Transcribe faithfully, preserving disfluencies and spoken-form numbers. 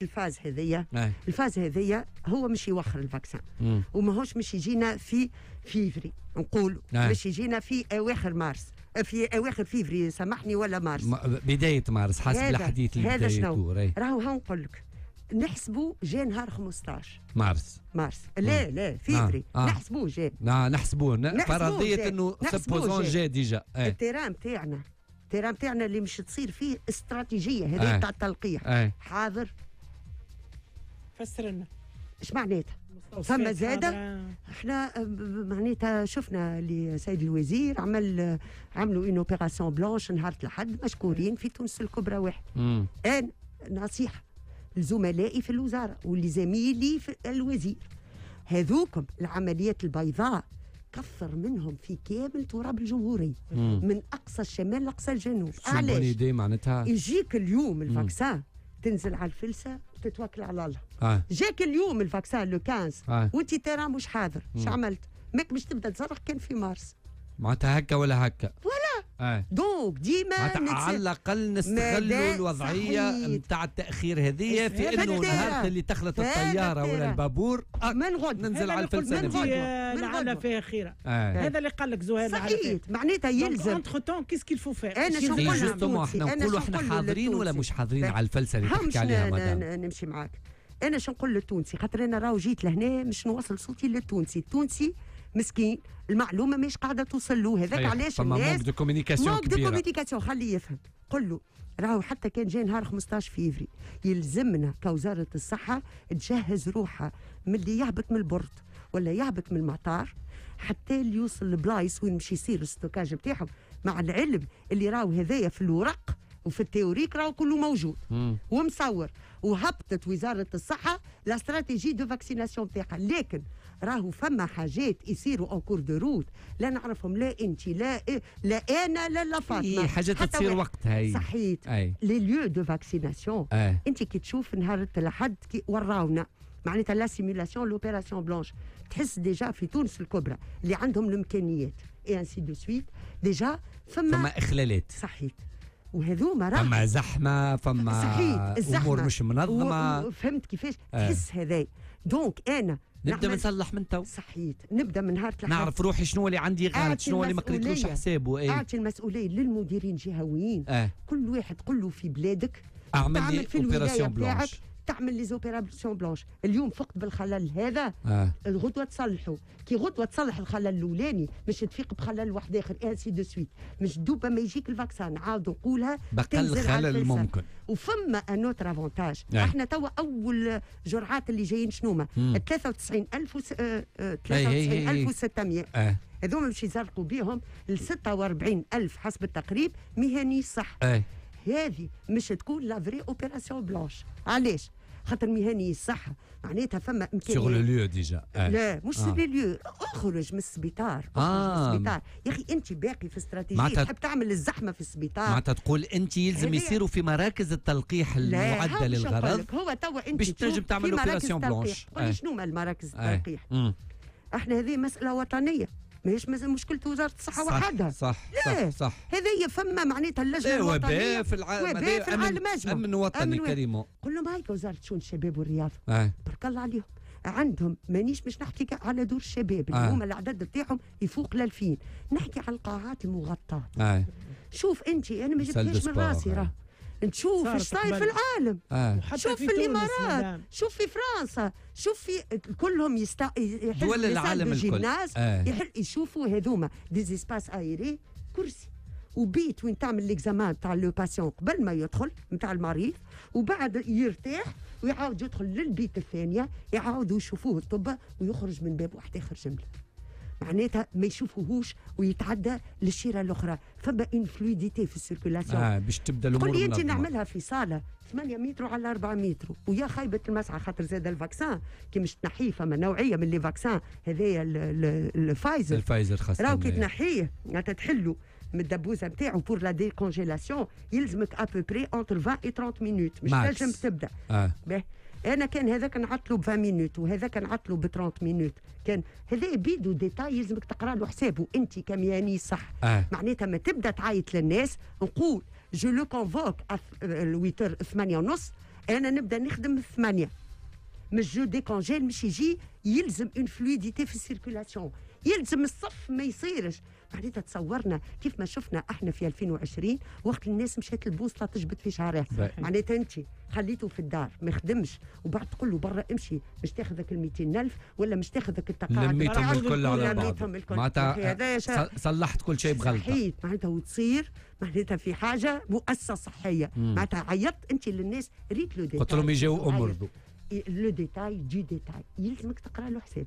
ال phase هذيا، أي. ال phase هذيا هو مش يوخر ال vaccin مم. وماهوش مش يجينا في فيفري، نقولوا أي. مش يجينا في اواخر مارس، في اواخر فيفري سامحني ولا مارس. ما- بداية مارس حسب هذا- الحديث اللي هذا بدا شنو؟ يدور، أي. راهو ها نقول لك نحسبوا جا نهار خمسطاش مارس. مارس، لا لا، فيفري. آه. آه. نحسبوه جا. نا نحسبوه ن- نحسبوه فرضية جا. انه نحسبوه supposons جا. جا déjà، أي. ال terrain تاعنا ال terrain تاعنا اللي مش تصير فيه استراتيجية هذه آه. تاع التلقيح أي. حاضر. فسر لنا. ايش معناتها؟ مستوصفات فما زادة؟ حاضرة. احنا آه، معناتها شفنا اللي سيد الوزير عمل آه، عملوا une opération blanche نهار الاحد مشكورين في تونس الكبرى واحد. مم. انا نصيحة لزملائي في الوزارة ولزميلي في الوزير، هذوكم العمليات البيضاء كثر منهم في كامل تراب الجمهوريه، مم. من اقصى الشمال لاقصى الجنوب. c'est bonne علاش؟ idée معناتها. يجيك اليوم ال vaccin، تنزل على الفلسه وتتوكل على الله. آه. جاك اليوم ال vaccin le خمسطاش آه. وانت terrain مش حاضر، اش عملت؟ ماك باش تبدا تصرح كان في مارس. معناتها هكا ولا هكا. voilà. آه. donc ديما معناتها نتس- على الاقل نستغلوا مدى الوضعية صحيح. نتاع التاخير هذه في في انه ال terrain. نهار اللي تخلط في الطيارة ولا ال terrain. البابور آه، من غد ننزل هذا على اللي قلت الفلسه من انت، غدوة. نبدا. آه، من لعل غدوة. فيها خيره. آه. هذا اللي قال لك زهير، لعل فيها. صحيح، معناتها يلزم entre-temps qu'est-ce qu'il faut faire؟ أنا شو إيه نقول justement للتونسي؟ احنا أنا نقولوا شو احنا نقول حاضرين ولا للتونسي؟ مش حاضرين لا. على الفلسه اللي ها تحكي مش عليها ن- مدام. ن- نمشي معاك. انا شو نقول للتونسي؟ خاطر انا راهو جيت لهنا مش نوصل صوتي للتونسي. التونسي مسكين، المعلومة مش قاعدة توصل له. هذاك صحيح. علاش فما الناس manque de communication manque de كبيره. communication. خليه يفهم، قل له راهو حتى كان جاي نهار خمسطاش فيفري يلزمنا كوزارة الصحة تجهز روحها من اللي يهبط من ال port ولا يهبط من المطار حتى اللي يوصل لبلايص وين مش يصير ال stockage بتاعهم، مع العلم اللي راهو هذايا في الورق وفي ال théorique راهو كله موجود مم. ومصور وهبطت وزارة الصحة la stratégie de vaccination تاعها، لكن راهو فما حاجات يصيروا en cours de route لا نعرفهم لا انت لا إيه لا انا لا لا فاطمه. إيه، حاجات حتى تصير واحد. وقتها هي. صحيت. اي. les lieux de vaccination، اي. انت كي تشوف نهار الاحد كي وراونا معناتها la simulation l'opération blanche، تحس déjà في تونس الكبرى اللي عندهم الامكانيات et ainsi de suite déjà فما فما اخلالات. صحيت، وهذوما راه فما زحمه، فما صحيت، الزحمة امور مش منظمه. و- وفهمت كيفاش؟ آه. تحس هذاي، donc انا نبدا نعمل- نصلح من تو. صحيت، نبدا من نهار الأحد. نعرف روحي شنو اللي عندي غلط، أعطي شنو اللي ما قريتلوش المسؤولية. حسابه، اي. اعطي المسؤولية للمديرين الجهويين. اه كل واحد قل له في بلادك اعمل تعمل لي في الولاية opération بتاعك blanche. تعمل les opérations blanches. اليوم فقت بالخلل هذا، اه الغدوه تصلحوا. كي غدوه تصلح الخلل الاولاني مش تفيق بخلل واحد اخر، ainsi de suite. مش دوبا ما يجيك ال vaccin، عاود نقولها، بقل تنزل على خلل الفلسة. ممكن. وفما un autre avantage. أي. احنا توا اول جرعات اللي جايين شنو؟ مم. ثلاثة وتسعين ألف وس... آه، آه، أي أي أي. ثلاثة وتسعين ألف وستمية. اه هذوما باش يزرقوا بهم ل ستة وأربعين ألف حسب التقريب مهني صح. اي هذه مش تكون la vraie opération blanche. علاش؟ خاطر مهني الصحة معناتها فما sur le امكانيات. lieu déjà. آه. لا، مش آه. sur le lieu، اخرج من السبيطار، اخرج آه. من السبيطار يا اخي. انت باقي في استراتيجية معناتها- تحب تعمل الزحمة في السبيطار. معناتها تقول انت يلزم هذه- يصيروا في مراكز التلقيح لا، المعدة هاو باش نقول للغرض لك، هو توا انت باش تشوف تنجم تعمل في مراكز opération التلقيح. blanche. قولي آه. شنو هما المراكز آه. التلقيح؟ مم. احنا هذه مسالة وطنيه، ماهيش مز- مشكلة وزارة الصحة صح وحدها. صح. لا. صح صح. هذه فما معناتها اللجنة لا، الوطنيه. وباء في العالم. وباء في العالم اجمع. امن وطني. أمن وطني. carrément. قل لهم هاي وزارة شؤون الشباب والرياضه، اه بارك الله عليهم عندهم، مانيش مش نحكي على دور الشباب اللي آه. هما العدد بتاعهم يفوق ال ألفين، نحكي على القاعات المغطاه. اه شوف انت، انا ما salle de جبتهاش من sport، راسي، آه. راه نشوف صارت ايش صاير في قبل. العالم. اه وحتى شوف في في تونس الامارات، مدام. شوف في فرنسا، شوف في كلهم يست... يحلوا دول العالم الكل. gymnase. آه. يحل يشوفوا هذوما des espaces aérés، كرسي وبيت وين تعمل l'examen تاع le patient قبل ما يدخل نتاع المريض، وبعد يرتاح ويعاود يدخل للبيت الثانيه، يعاودوا يشوفوه الطب ويخرج من باب واحد اخر جمله، معناتها ما يشوفوهوش ويتعدى للشيره الاخرى. فما une fluidité في ال circulation. اه باش تبدا الامور قل لي انت منظمة. نعملها في صاله ثمانية متر على أربعة متر ويا خيبه المسعى، خاطر زاد ال vaccin كي مش تنحيه، فما نوعية من les vaccins هذايا ال- ال- الفايزر. الفايزر خاصه. راهو كي تنحيه، معناتها تحلو من الدبوزه نتاعو pour la décongélation، يلزمك à peu près entre عشرين et ثلاثين minutes مش max. تنجم تبدا. اه به انا كان هذاك نعطلو ب عشرين minutes وهذاك نعطلو ب ثلاثين minutes، كان هذا بيدو détail يلزمك تقرا له حسابه انت كمهني صح. اه معناتها ما تبدا تعيط للناس، نقول je le convoque ثمانية ونص، انا نبدا نخدم الثمانية، مش je décongèle، مش يجي، يلزم une fluidité في ال circulation، يلزم الصف ما يصيرش. معناتها تصورنا كيف ما شفنا احنا في ألفين وعشرين وقت الناس مشات البوصلة تجبد في شعرها. معناتها انت خليته في الدار ما يخدمش، وبعد تقول له برا امشي باش تاخذك ال ميتين ألف ولا مش تاخذك التقاعد. لميتهم الكل على بعض. معناتها صلحت كل شيء بغلطه. صحيت، معناتها وتصير معناتها في حاجة مؤسسة صحيه. معناتها عيطت انت للناس، ريت le détail، قلت لهم يجاو امرضوا. le détail du détail، يلزمك تقرا له حساب.